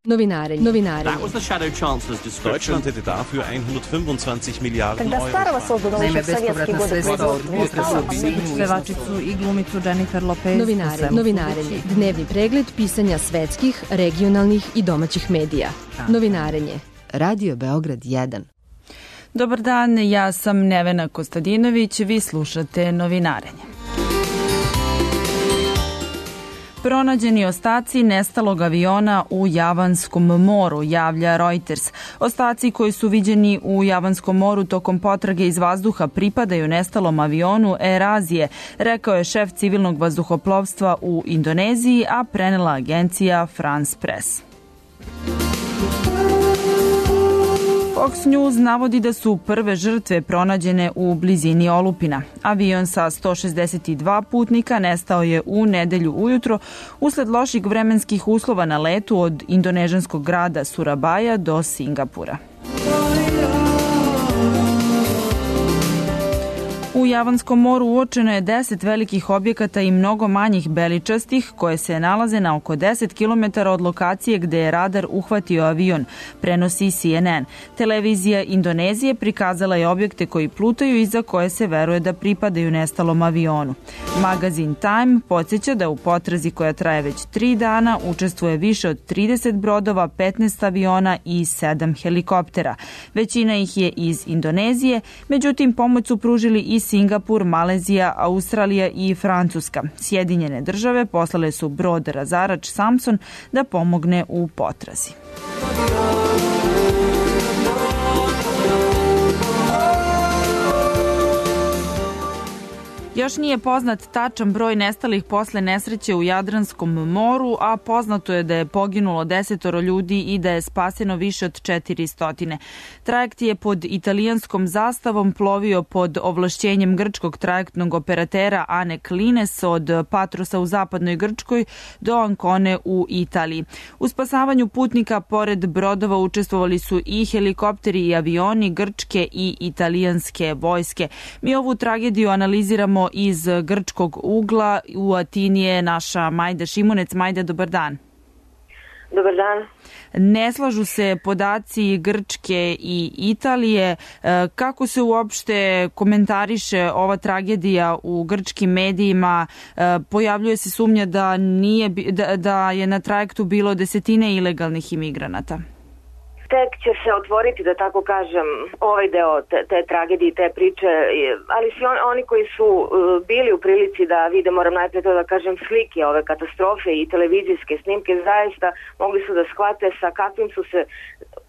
Novinare. That was the Shadow Chancellor's description. Deutschland hätte dafür 125 Milijarden Когда старого создано еще в советские годы pevačicu i glumicu Jennifer Lopez. Novinarenje. Dnevni pregled pisanja svetskih, regionalnih i domaćih medija. Novinarenje. Radio Beograd 1. Dobar dan, ja sam Nevena Kostadinović, vi slušate Novinarenje. Pronađeni ostaci nestalog aviona u Javanskom moru, javlja Reuters. Ostaci koji su viđeni u Javanskom moru tokom potrage iz vazduha pripadaju nestalom avionu Air Azije, rekao je šef civilnog vazduhoplovstva u Indoneziji, a prenela agencija France Press. Fox News navodi da su prve žrtve pronađene u blizini olupina. Avion sa 162 putnika nestao je u nedelju ujutro usled loših vremenskih uslova na letu od indonežanskog grada Surabaja do Singapura. U Javanskom moru uočeno je 10 velikih objekata i mnogo manjih beličastih koje se nalaze na oko 10 km od lokacije gde je radar uhvatio avion, prenosi CNN. Televizija Indonezije prikazala je objekte koji plutaju i za koje se veruje da pripadaju nestalom avionu. Magazin Time podsjeća da u potrazi koja traje već 3 dana učestvuje više od 30 brodova, 15 aviona i 7 helikoptera. Većina ih je iz Indonezije, međutim pomoć su pružili i Singapur, Malezija, Australija i Francuska. Sjedinjene države poslale su brod razarač Samson da pomogne u potrazi. Još nije poznat tačan broj nestalih posle nesreće u Jadranskom moru, a poznato je da je poginulo 10 ljudi i da je spaseno više od 400. Trajekt je pod italijanskom zastavom plovio pod ovlašćenjem grčkog trajektnog operatera Anek Lines od Patrosa u zapadnoj Grčkoj do Ancone u Italiji. U spasavanju putnika pored brodova učestvovali su i helikopteri i avioni grčke i italijanske vojske. Mi ovu tragediju analiziramo iz grčkog ugla. U Atini je naša Majda Šimunec. Majda, dobar dan. Dobar dan. Ne slažu se podaci Grčke i Italije. Kako se uopšte komentariše ova tragedija u grčkim medijima? Pojavljuje se sumnja da je na trajektu bilo desetine ilegalnih imigranata. Tek će se otvoriti, da tako kažem, ovaj deo te tragedije, te priče, ali svi oni koji su bili u prilici da vide, moram najprije to da kažem, slike ove katastrofe i televizijske snimke, zaista mogli su da shvate sa kakvim su se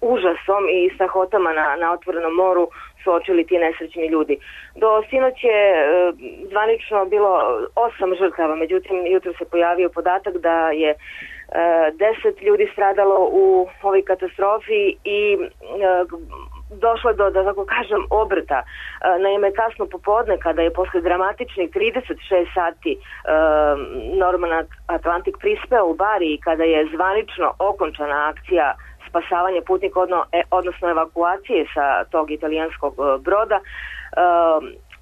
užasom i strahotama na otvorenom moru suočili ti nesrećni ljudi. Do sinoć je zvanično bilo 8 žrtava, međutim jutro se pojavio podatak da je 10 ljudi stradalo u ovoj katastrofi i došlo je do, da tako kažem, obrta. Naime, kasno popodne, kada je posle dramatičnih 36 sati Norman Atlantic prispeo u Bari i kada je zvanično okončana akcija spasavanja putnika, odnosno evakuacije sa tog italijanskog broda,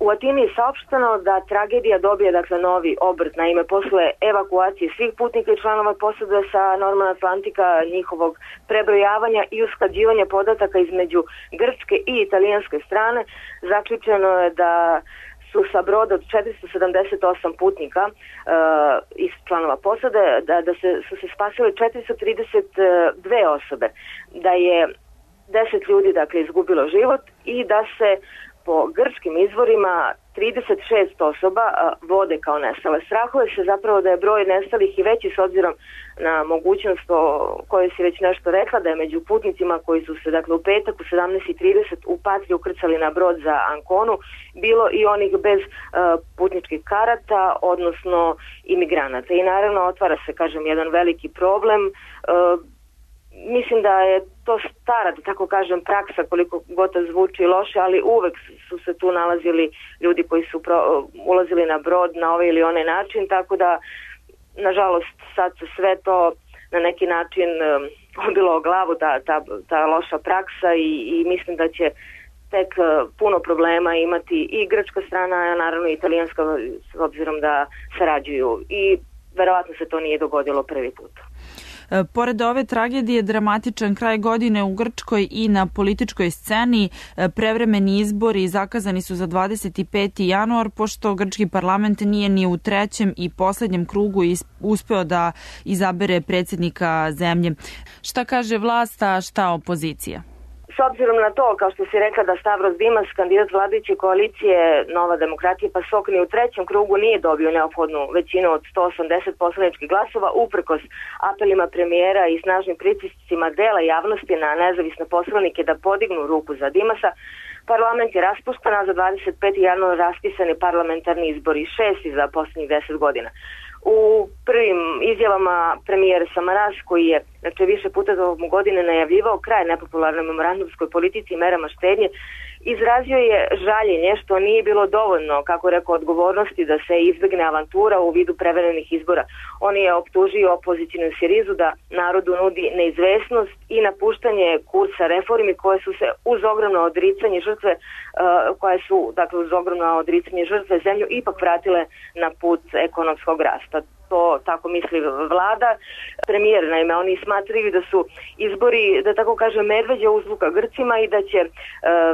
u Atini je saopšteno da tragedija dobije novi obrt. Naime, posle evakuacije svih putnika i članova posade sa Norman Atlantika, njihovog prebrojavanja i usklađivanja podataka između grčke i italijanske strane, zaključeno je da su sa broda od 478 putnika iz članova posade, su se spasile 432 osobe, da je 10 ljudi izgubilo život i da se po grčkim izvorima 36 osoba vode kao nestale. Strahuje se zapravo da je broj nestalih i veći s obzirom na mogućnost o kojoj si već nešto rekla, da je među putnicima koji su se u petak u 17:30 u Patriju ukrcali na brod za Anconu bilo i onih bez putničkih karata, odnosno imigranata. I naravno otvara se, jedan veliki problem. Mislim da je to stara, da tako kažem, praksa, koliko god to zvuči loše, ali uvek su se tu nalazili ljudi koji su ulazili na brod na ovaj ili onaj način, tako da, nažalost, sad se sve to na neki način obilo o glavu, ta loša praksa i mislim da će tek puno problema imati i grčka strana, a naravno i italijanska, s obzirom da sarađuju i verovatno se to nije dogodilo prvi put. Pored ove tragedije, dramatičan kraj godine u Grčkoj i na političkoj sceni. Prevremeni izbori zakazani su za 25. januar, pošto grčki parlament nije ni u trećem i poslednjem krugu uspeo da izabere predsjednika zemlje. Šta kaže vlast, a šta opozicija? S obzirom na to, kao što si rekla, da Stavros Dimas, kandidat vladajuće koalicije Nova demokratija PASOK, ni u trećem krugu nije dobio neophodnu većinu od 180 poslaničkih glasova, uprkos apelima premijera i snažnim pritiscima dela javnosti na nezavisne poslanike da podignu ruku za Dimasa, parlament je raspušten, a za 25. januar raspisani parlamentarni izbori, 6 za posljednjih 10 godina. U prvim izjavama premijer Samaras, koji je više puta tokom godine najavljivao kraj nepopularnoj memorandumskoj politici i merama štednje, izrazio je žaljenje što nije bilo dovoljno, kako rekao, odgovornosti da se izbegne avantura u vidu prevremenih izbora. On je optužio opozicijnu Sirizu da narodu nudi neizvesnost i napuštanje kursa reformi koje su se uz ogromno odricanje žrtve zemlju ipak vratile na put ekonomskog rasta. To tako misli vlada. Premijer, naime, oni smatraju da su izbori, da tako kažem, medveđa uzvuka Grcima i da će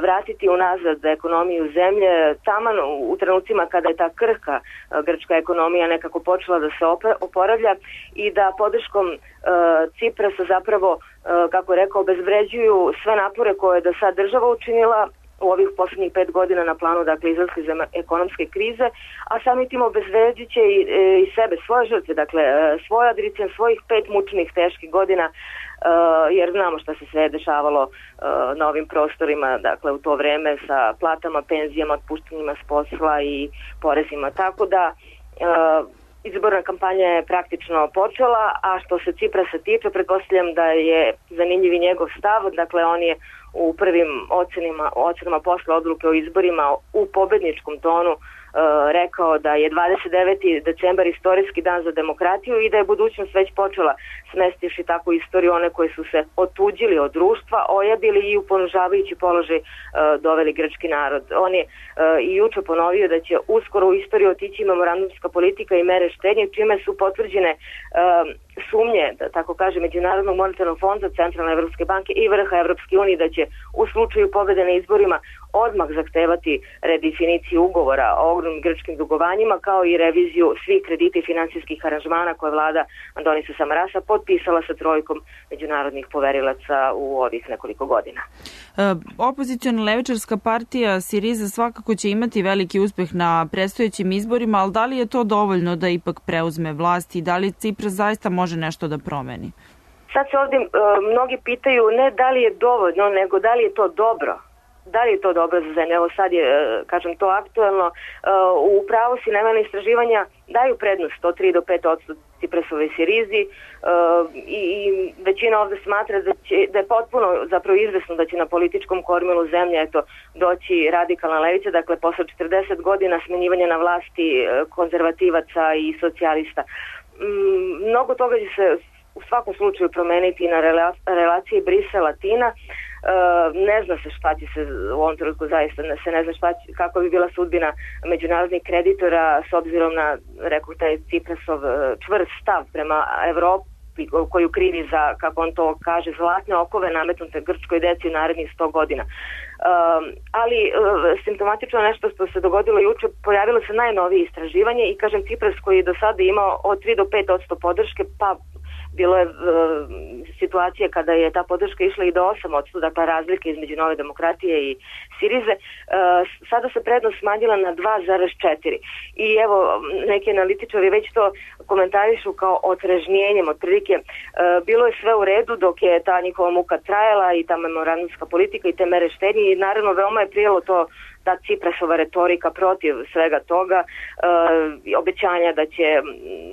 vratiti unazad ekonomiju zemlje taman u trenucima kada je ta krhka grčka ekonomija nekako počela da se oporavlja i da podrškom Ciprasa zapravo, kako je rekao, obezvređuju sve napore koje je do sad država učinila u ovih posljednjih 5 godina na planu, dakle, izlaska iz ekonomske krize, a samim tim obezvređujuće i sebe, svoje žrtve, dakle, svoje odricanje, svojih 5 mučnih, teških godina, jer znamo šta se sve dešavalo na ovim prostorima, dakle, u to vreme sa platama, penzijama, otpuštanjima s posla i porezima. Tako da izborna kampanja je praktično počela, a što se Ciprasa tiče, pretpostavljam da je zanimljiv i njegov stav, dakle, on je u prvim ocenama posle odluke o izborima u pobedničkom tonu rekao da je 29. decembar istorijski dan za demokratiju i da je budućnost već počela, smestivši tako istoriju one koji su se otuđili od društva, ojadili i u ponižavajući položaj doveli grčki narod. On je i juče ponovio da će uskoro u istoriju otići memorandumska politika i mere štednje, čime su potvrđene sumnje, da tako kaže, Međunarodnog monetarnog fonda, Centralne Evropske banke i vrha Evropske unije da će u slučaju pobede na izborima odmah zahtevati redefiniciju ugovora o ogromnim grčkim dugovanjima, kao i reviziju svih kredita i finansijskih aranžmana koje vlada Andonisa Samarasa potpisala sa trojkom međunarodnih poverilaca u ovih nekoliko godina. Opoziciona levičarska partija Siriza svakako će imati veliki uspeh na predstojećim izborima, ali da li je to dovoljno da ipak preuzme vlast i da li Cipras zaista može nešto da promeni? Sad se ovdje mnogi pitaju ne da li je dovoljno, nego da li je to dobro. Da li je to dobro za zemlju? Evo sad je, kažem, to aktuelno. U pravu si, naime, istraživanja daju prednost od 3 do 5% Ciprasove Sirizi i većina ovdje smatra da je potpuno zapravo izvesno da će na političkom kormilu zemlje doći radikalna levica, dakle posle 40 godina smenjivanja na vlasti konzervativaca i socijalista. Mnogo toga će se u svakom slučaju promeniti na relaciji Brisel-Latina. Ne zna se šta će se u ovom trenutku, zaista se ne zna kako bi bila sudbina međunarodnih kreditora s obzirom na, rekao, taj Ciprasov čvrst stav prema Evropi koju krivi za, kako on to kaže, zlatne okove nametnute grčkoj deci u narednih 100 godina. Ali simptomatično nešto što se dogodilo juče, pojavilo se najnovije istraživanje i, kažem, Cipras koji je do sada imao od 3 do 5% podrške, pa bilo je situacija kada je ta podrška išla i do 8%, dakle razlike između Nove demokratije i Sirize, sada se prednost smanjila na 2,4. I evo, neki analitičari već to komentarišu kao otrežnjenjem, otprilike bilo je sve u redu dok je ta njihova muka trajala i ta memorandumska politika i te mere štednje i naravno veoma je prijelo to ta Ciprasova retorika protiv svega toga, obećanja da će,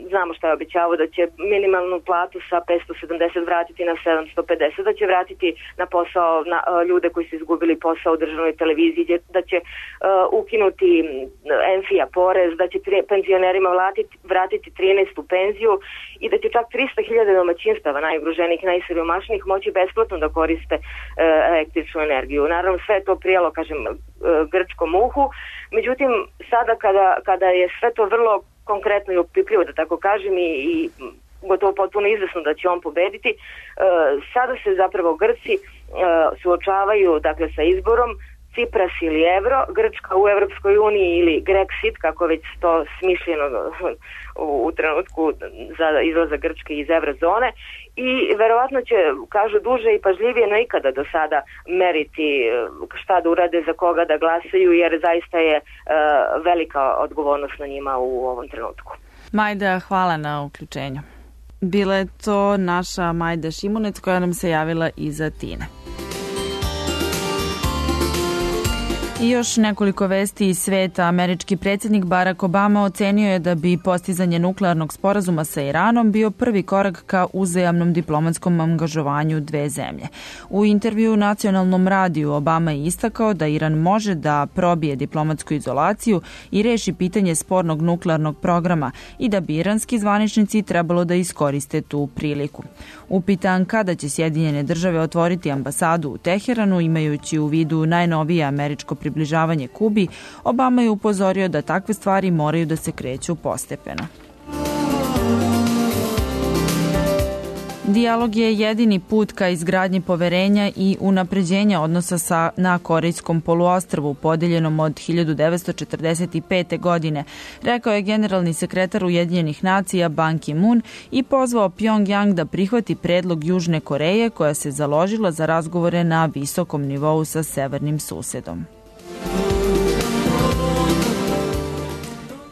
znamo šta je obećavao, da će minimalnu platu sa 570 vratiti na 750, da će vratiti na posao ljude koji su izgubili posao u državnoj televiziji, da će ukinuti enfija porez, da će penzionerima vratiti 13. penziju i da će čak 300.000 domaćinstava najugroženijih, najsiromašnijih moći besplatno da koriste električnu energiju. Naravno sve to prijelo, kažem, grčkom uhu. Međutim, sada kada je sve to vrlo konkretno i opipljivo, da tako kažem, i gotovo potpuno izvesno da će on pobediti. Sada se zapravo Grci suočavaju dakle sa izborom Cipras ili evro, Grčka u Evropskoj uniji ili Grexit, kako već to smišljeno u trenutku za izlazak Grčke iz eurozone, i verovatno će, kažu, duže i pažljivije no ikada do sada meriti šta da urade, za koga da glasaju, jer zaista je velika odgovornost na njima u ovom trenutku. Majda, hvala na uključenju. Bila je to naša Majda Šimunec koja nam se javila iz Atine. I još nekoliko vesti iz sveta. Američki predsjednik Barack Obama ocenio je da bi postizanje nuklearnog sporazuma sa Iranom bio prvi korak ka uzajamnom diplomatskom angažovanju dve zemlje. U intervju nacionalnom radiju Obama je istakao da Iran može da probije diplomatsku izolaciju i reši pitanje spornog nuklearnog programa i da bi iranski zvaničnici trebalo da iskoriste tu priliku. Upitan kada će Sjedinjene države otvoriti ambasadu u Teheranu, imajući u vidu najnovije američko približavanje Kubi, Obama je upozorio da takve stvari moraju da se kreću postepeno. Dijalog je jedini put ka izgradnji poverenja i unapređenja odnosa na Korejskom poluostrvu, podeljenom od 1945. godine, rekao je generalni sekretar Ujedinjenih nacija Ban Ki-moon i pozvao Pjongjang da prihvati predlog Južne Koreje, koja se založila za razgovore na visokom nivou sa severnim susedom.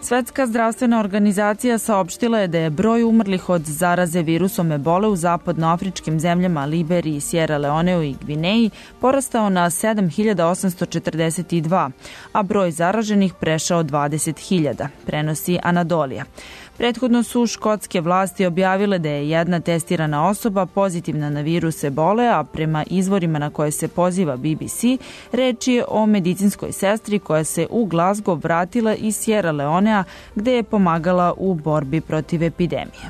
Svetska zdravstvena organizacija saopštila je da je broj umrlih od zaraze virusom ebole u zapadnoafričkim zemljama Liberiji, Sierra Leoneu i Gvineji porastao na 7.842, a broj zaraženih prešao 20.000, prenosi Anadolija. Prethodno su škotske vlasti objavile da je jedna testirana osoba pozitivna na virus ebole, a prema izvorima na koje se poziva BBC, reč je o medicinskoj sestri koja se u Glasgow vratila iz Sierra Leonea, gde je pomagala u borbi protiv epidemije.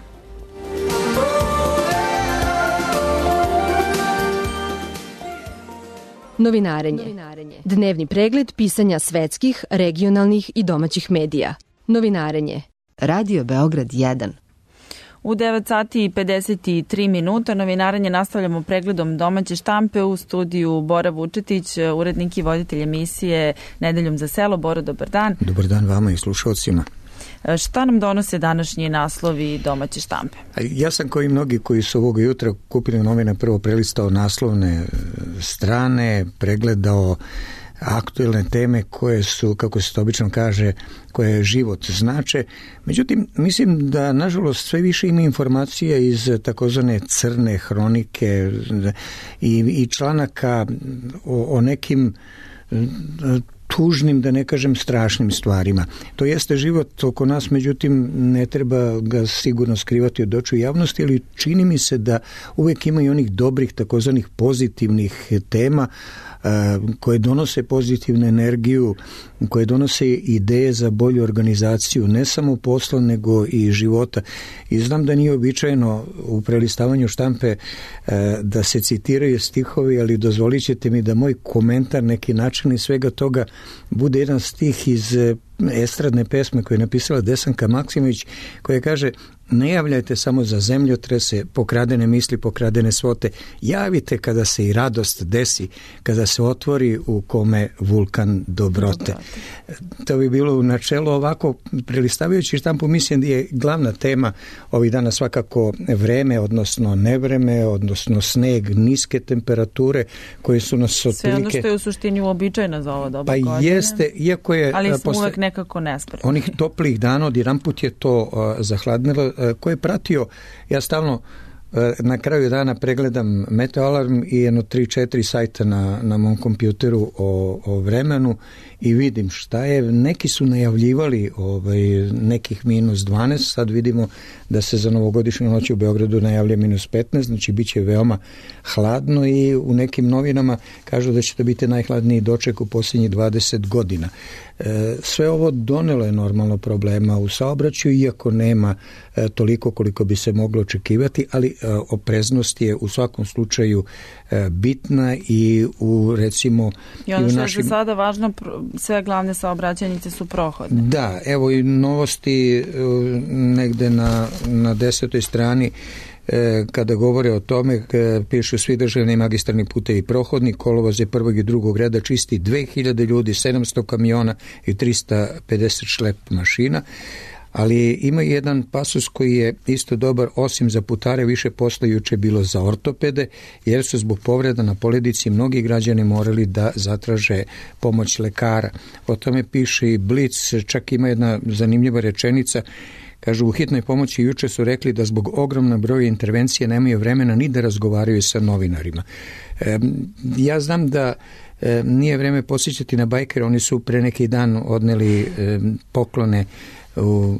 Novinarenje. Dnevni pregled pisanja svetskih, regionalnih i domaćih medija. Novinarenje. Radio Beograd 1. U 9 sati i 53 minuta novinarenje nastavljamo pregledom domaće štampe. U studiju Bora Vučetić, urednik i voditelj emisije Nedeljom za selo. Bora, dobar dan. Dobar dan vama i slušalcima. Šta nam donose današnji naslovi domaće štampe? Ja sam kao i mnogi koji su ovoga jutra kupili novine prvo prelistao naslovne strane, pregledao aktuelne teme koje su, kako se to obično kaže, koje život znače. Međutim, mislim da nažalost sve više ima informacija iz takozvane crne hronike i članaka o nekim tužnim, da ne kažem strašnim stvarima. To jeste život oko nas, međutim ne treba ga sigurno skrivati od očiju javnosti, ali čini mi se da uvijek ima i onih dobrih takozvanih pozitivnih tema koje donose pozitivnu energiju, koje donose ideje za bolju organizaciju, ne samo posla, nego i života. I znam da nije običajno u prelistavanju štampe da se citiraju stihovi, ali dozvolit ćete mi da moj komentar, neki način svega toga, bude jedan stih iz estradne pesme koju je napisala Desanka Maksimović, koja kaže: ne javljajte samo za zemljotrese, pokradene misli, pokradene svote. Javite kada se i radost desi, kada se otvori u kome vulkan dobrote. To bi bilo u načelu ovako, prelistavajući štampu, mislim da je glavna tema ovih dana svakako vreme, odnosno nevreme, odnosno sneg, niske temperature koje su nas otprilike... Sve ono što je u suštini uobičajeno za ovo doba godine. Pa jeste, iako je... Ali smo uvek nekako nespremni. Onih toplih dana, odjedanput je to zahladnilo. Ko je pratio, ja stalno na kraju dana pregledam Meteoalarm i jedno 3-4 sajta na mom kompjuteru o vremenu i vidim šta je. Neki su najavljivali nekih -12, sad vidimo da se za novogodišnju noć u Beogradu najavlja -15, znači bit će veoma hladno i u nekim novinama kažu da će to biti najhladniji doček u posljednjih 20 godina. Sve ovo donelo je normalno problema u saobraćaju, iako nema toliko koliko bi se moglo očekivati, ali opreznost je u svakom slučaju bitna i u recimo i ono što je za sada važno, sve glavne saobraćajnice su prohodne. Da, evo i novosti negde na 10. strani kada govore o tome, pišu svi državni i magistralni putevi prohodni, kolovoze prvog i drugog reda čisti 2000 ljudi, 700 kamiona i 350 šlep mašina. Ali ima jedan pasus koji je isto dobar, osim za putare više posla juče bilo za ortopede, jer su zbog povreda na poledici mnogi građani morali da zatraže pomoć lekara. O tome piše i Blic, čak ima jedna zanimljiva rečenica. Kažu, u hitnoj pomoći juče su rekli da zbog ogromnog broja intervencije nemaju vremena ni da razgovaraju sa novinarima. Ja znam da nije vreme posjećati na bajkere, oni su pre neki dan odneli poklone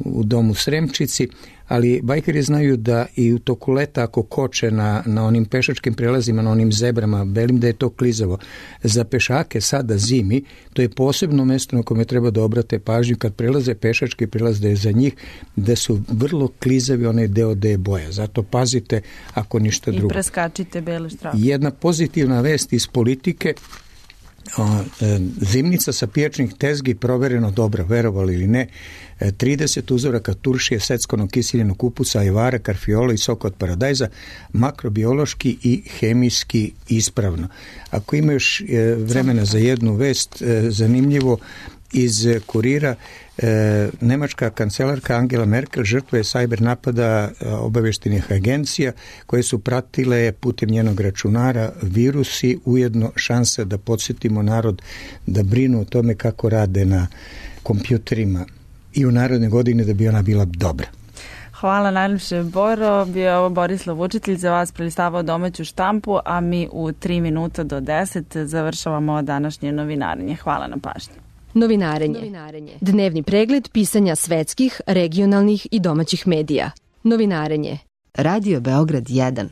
u domu Sremčici, ali bajkeri znaju da i u toku leta ako koče na onim pešačkim prelazima, na onim zebrama, belim da je to klizavo. Za pešake sada zimi, to je posebno mesto na kome treba da obrate pažnju kad prelaze pešački prelaz, da je za njih da su vrlo klizavi onaj deo da je boja. Zato pazite ako ništa drugo. I preskačite bele štrake. Jedna pozitivna vest iz politike, zimnica sa pijačnih tezgi provereno dobra, verovali ili ne, 30 uzoraka turšije, seckonog kiseljenog kupusa, ajvara, karfiola i soka od paradajza, makrobiološki i hemijski ispravno. Ako ima još vremena za jednu vest, zanimljivo, iz Kurira, nemačka kancelarka Angela Merkel žrtva je sajber napada obaveštenih agencija koje su pratile putem njenog računara virusi, ujedno šansa da podsjetimo narod da brinu o tome kako rade na kompjuterima i u naredne godine da bi ona bila dobra. Hvala najljepše, Boro. Bio je ovo Borislav Vučitelj, za vas prelistavao domaću štampu, a mi u 3 minuta do 10 završavamo današnje novinarenje. Hvala na pažnji. Novinarenje. Dnevni pregled pisanja svetskih, regionalnih i domaćih medija. Novinarenje. Radio Beograd 1.